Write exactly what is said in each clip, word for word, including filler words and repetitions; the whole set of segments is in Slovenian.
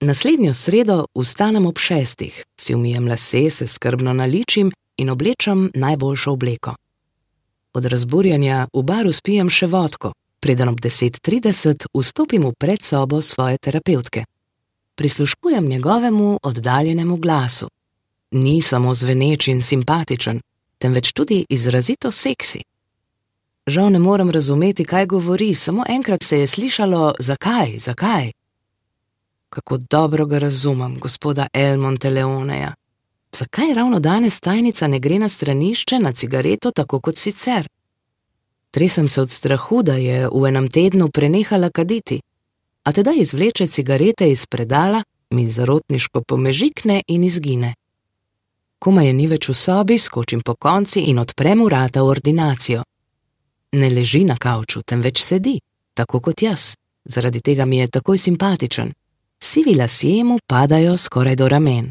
Naslednjo sredo vstanem ob šestih, si umijem lase, se skrbno naličim in oblečem najboljšo obleko. Od razburjenja v baru spijem še vodko, preden ob deset trideset vstopim v predsobo svoje terapevtke. Prisluškujem njegovemu oddaljenemu glasu. Ni samo zveneč in simpatičen, temveč tudi izrazito seksi. Žal ne morem razumeti, kaj govori, samo enkrat se je slišalo zakaj, zakaj. Kako dobro ga razumem, gospoda El Monteleoneja. Zakaj ravno danes tajnica ne gre na stranišče na cigareto tako kot sicer? Tresem se od strahu, da je v enem tednu prenehala kaditi, a tedaj izvleče cigarete iz predala, mi zarotniško pomežikne in izgine. Komaj je ni več v sobi, skočim po konci in odprem vrata v ordinacijo. Ne leži na kavču, temveč sedi, tako kot jaz, zaradi tega mi je takoj simpatičen. Sivi lasje mu padajo skoraj do ramen.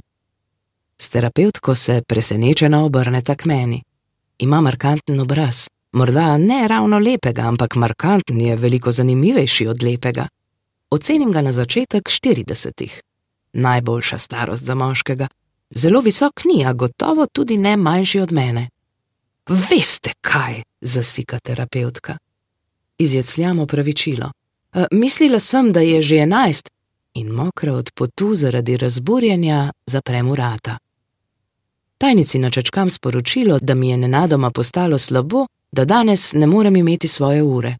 S terapevtko se presenečena obrneta k meni. Ima markanten obraz, morda ne ravno lepega, ampak markanten je veliko zanimivejši od lepega. Ocenim ga na začetek štiridesetih. Najboljša starost za moškega. Zelo visok ni, a gotovo tudi ne manjši od mene. Veste kaj, zasika terapevtka. Izjecljam opravičilo. E, mislila sem, da je že enajst in mokra od potu zaradi razburjenja zaprem vrata. Tajnici načečkam sporočilo, da mi je nenadoma postalo slabo, da danes ne morem imeti svoje ure.